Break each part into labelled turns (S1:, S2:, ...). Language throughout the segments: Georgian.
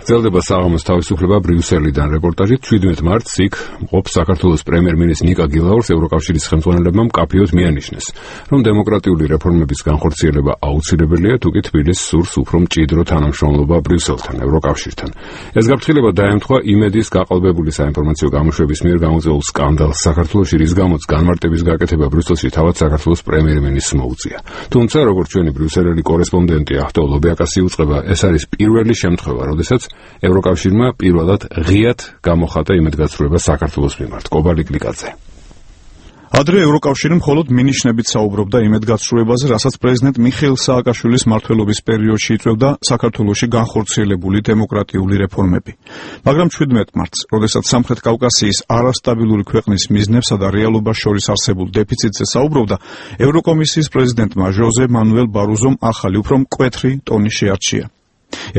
S1: გრძელდება საღამოს თავისუფლება ბრიუსელიდან. რეპორტაჟით 17 მარტს იქ მყოფ საქართველოს პრემიერ-მინისტრი ნიკა გილაურს ევროკავშირის ხელმძღვანელებმა მკაფიოდ მიანიშნეს, რომ დემოკრატიული რეფორმების განხორციელება აუცილებელია, თუკი თბილისს სურს უფრო მჭიდრო თანამშრომლობა ბრიუსელთან, ევროკავშირთან. ეს გაფრთხილება დაემთხვა იმედის გაყალბებული საინფორმაციო გამოშვების მიერ გამოწვეულ სკანდალს საქართველოში, რის გამოც განმარტების გაკეთება ბრიუსელში თავად საქართველოს პრემიერ-მინისტრს მოუწია. თუმცა, როგორც ჩვენი ბრიუსელელი კორესპონდენტი ახტო ლობიაკასი უწყება, ეს არის პირველი შემთხვევა, როდესაც ევროკავშირმა პირველად ღიად გამოხატა იმედგაცრუება საქართველოს მიმართ. კობალი კლიკაძე.
S2: ადრე ევროკავშირი მხოლოდ მინიშნებით საუბრობდა იმედგაცრუებაზე, რასაც პრეზიდენტ მიხეილ სააკაშვილის მმართველობის პერიოდში იწვევდა საქართველოში განხორციელებული დემოკრატიული რეფორმები. მაგრამ 17 მარტს, როდესაც სამხრეთ კავკასიის არასტაბილური ქვეყნის მიზნებსა და რეალობას შორის არსებულ დეფიციტზე საუბრობდა, ევროკომისიის პრეზიდენტმა ჟოზე მანუელ ბაროზომ ახალი, უფრო მკვეთრი ტონი შეარჩია.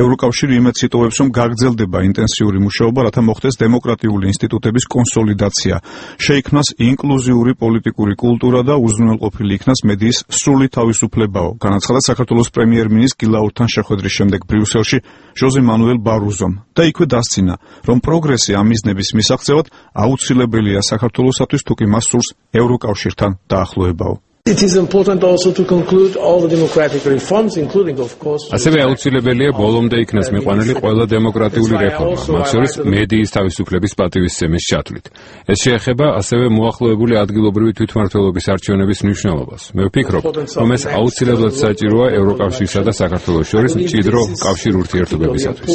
S2: ევროკავშირი იმედს იტოვებს, რომ გაგრძელდება ინტენსიური მუშაობა, რათა მოხდეს დემოკრატიული ინსტიტუტების კონსოლიდაცია, შეიქმნას ინკლუზიური პოლიტიკური კულტურა და უზრუნველყოფილი იქნას მედიის სრული თავისუფლებაო, განაცხადა საქართველოს პრემიერ-მინისტრ გილაურთან შეხვედრის შემდეგ ბრიუსელში ჟოზე მანუელ ბაროზომ და იქვე დასცინა, რომ პროგრესი ამ მიზნების მისაღწევად აუცილებელია საქართველოსათვის, თუკი მას სურს ევროკავშირთან დაახლოებაო.
S3: It is important also to conclude all the democratic reforms, including, of course,
S1: ასევე აუცილებელია ბოლომდე იქნას მიყვანილი ყველა დემოკრატიული რეფორმა, მათ შორის მედიის თავისუფლების პატივისცემის ჩათვლით. ეს შეეხება ასევე მოახლოებული ადგილობრივი თვითმმართველობის არჩევნების მნიშვნელობას. მე ვფიქრობ, რომ ეს აუცილებლად საჭიროა ევროკავშირსა და საქართველოს შორის მჭიდრო კავშირ ურთიერთობებისათვის.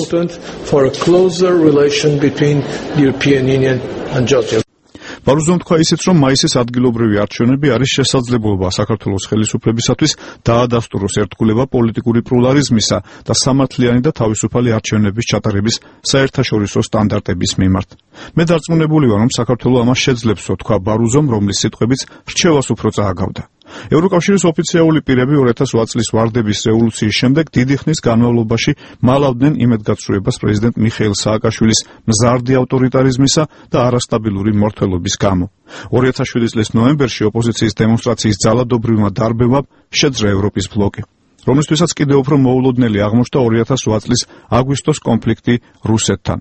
S2: ბაროზომ თქვა ისიც, რომ მაისის ადგილობრივი არჩევნები არის შესაძლებლობა საქართველოს ხელისუფლებისათვის დაადასტუროს ერთგულება პოლიტიკური პლურალიზმისა და სამართლიანი და თავისუფალი არჩევნების ჩატარების საერთაშორისო სტანდარტების მიმართ. მე დარწმუნებული ვარ, რომ საქართველო ამას შეძლებსო, თქვა ბაროზომ, რომლის სიტყვებიც რჩევას უფრო წააგავდა. ევროკავშირის ოფიციალური პირები 2008 წლის ვარდების რევოლუციის შემდეგ დიდი ხნის განმავლობაში მალავდნენ იმედგაცრუებას პრეზიდენტ მიხეილ სააკაშვილის მზარდი ავტორიტარიზმისა და არასტაბილური მმართველობის გამო. 2007 წლის ნოემბერში ოპოზიციის დემონსტრაციის ძალადობრივმა დარბევამ შეძრა ევროპის ბლოკი, რომლისთვისაც კიდევ უფრო მოულოდნელი აღმოჩნდა 2008 წლის აგვისტოს კონფლიქტი რუსეთთან.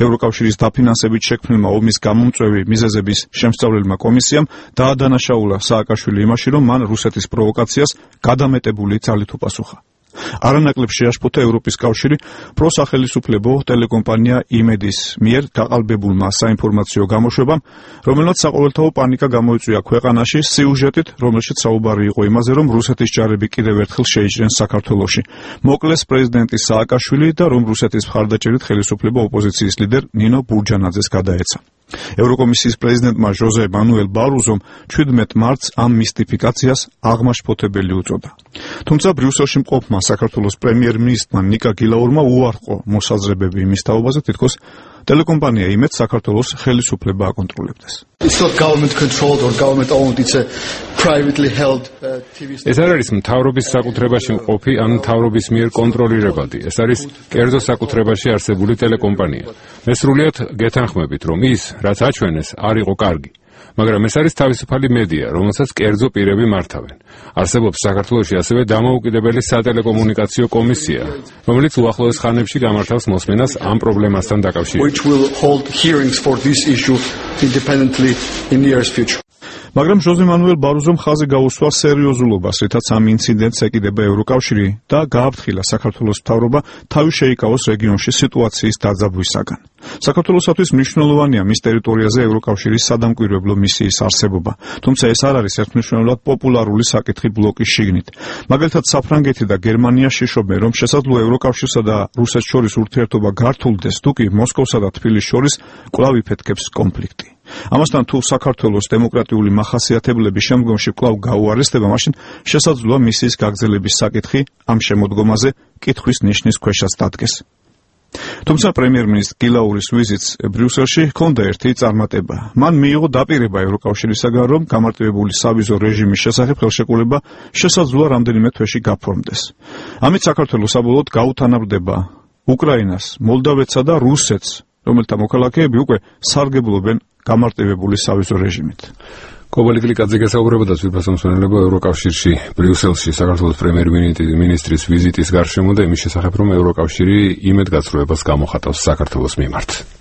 S2: ევროკავშირის დაფინანსებით შექმნილმა ომის გამომწვევი მიზეზების შემსწავლელმა კომისიამ დაადანაშაულა სააკაშვილი იმაში, რომ მან რუსეთის პროვოკაციას გადამეტებული ძალით უპასუხა. არანაკლებ შეაშფოთა ევროპის კავშირი პროსახელისუფლებო ტელეკომპანია იმედის მიერ გაყალბებულმა საინფორმაციო გამოშვებამ, რომელმაც საყოველთაო პანიკა გამოიწვია ქვეყანაში სიუჟეტით, რომელშიც საუბარი იყო იმაზე, რომ რუსეთის ჯარები კიდევ ერთხელ შეიჭრენ საქართველოში. მოკლეს პრეზიდენტი სააკაშვილი და რომ რუსეთის მხარდაჭერით ხელისუფლება ოპოზიციის ლიდერ ნინო ბურჯანაძეს გადაეცა. ევროკომისიის პრეზიდენტმა ჟოზე მანუელ ბაროზომ 17 მარტს ამ მისტიფიკაციას აღმაშფოთებელი უწოდა. თუმცა ბრიუსელში მყოფმა საქართველოს პრემიერ-მინისტრმა ნიკა გილაურმა უარყო მოსაზრებები იმის თაობაზე, თითქოს ტელეკომპანია იმედს საქართველოს ხელისუფლება აკონტროლებდეს.
S4: It's not government controlled or government owned, it's a privately held TV station.
S1: ეს არ არის მთავრობის საკუთრებაში მყოფი ან მთავრობის მიერ კონტროლირებადი. ეს არის კერძო საკუთრებაში არსებული ტელეკომპანია. მე სრულიად გეთანხმებით, რომ ის, რაც აჩვენეს, არ იყო კარგი. მაგრამ ეს არის თავისუფალი მედია, რომელსაც კერძო პირები მართავენ. არსებობს საქართველოში ასევე დამოუკიდებელი სატელეკომუნიკაციო კომისია, რომელიც უახლოეს ხანებში გამართავს მოსმენას ამ პრობლემასთან დაკავშირებით.
S4: Which will hold hearings for this issue independently in the near future.
S2: მაგრამ ჟოზე მანუელ ბაროზომ ხაზი გაუსვა სერიოზულობას, რითაც ამ ინციდენტს ეკიდება ევროკავშირი და გააფრთხილა საქართველოს მთავრობა თავი შეიკავოს რეგიონში სიტუაციის დაძაბვისაგან. საქართველოსათვის მნიშვნელოვანია მის ტერიტორიაზე ევროკავშირის სადამკვირვებლო მისიის არსებობა, თუმცა ეს არ არის ერთმნიშვნელოვნად პოპულარული საკითხი ბლოკის შიგნით. მაგალითად, საფრანგეთი და გერმანია შეშობენ, რომ შესაძლოა ევროკავშირსა და რუსეთს შორის ურთიერთობა გართულდეს, თუკი მოსკოვსა და თბილისის შორის კვლავ იფეთქებს კონფლიქტი. ამასთან თუ საქართველოს დემოკრატიული მახასიათებლები შემდგომში კვლავ გაუარესდება, მაშინ შესაძლოა მისიის გაგრძელების საკითხი ამ შემოდგომაზე კითხვის ნიშნის ქვეშაც დადგეს. თუმცა პრემიერ-მინისტრ გილაურის ვიზიტს ბრიუსელში ჰქონდა ერთი წარმატება. მან მიიღო დაპირება ევროკავშირისაგან, რომ გამარტივებული სავიზო რეჟიმის შესახებ ხელშეკრულება შესაძლოა რამდენიმე თვეში გაფორმდეს. ამით საქართველოს საბოლოოდ გაუთანაბრდება უკრაინას, მოლდავეთსა და რუსეთს, რომელთა მოქალაქეები უკვე სარგებლობენ გამარტივებული სავიზო რეჟიმით.
S1: კობალი კლიკაძე გასაუბრებოდა ძვირფასამსვენებლება ევროკავშირში ბრიუსელში საქართველოს პრემიერ-მინისტრის ვიზიტის გარშემო და იმის შესახებ, რომ ევროკავშირი იმედგაცრუებას გამოხატავს საქართველოს მიმართ.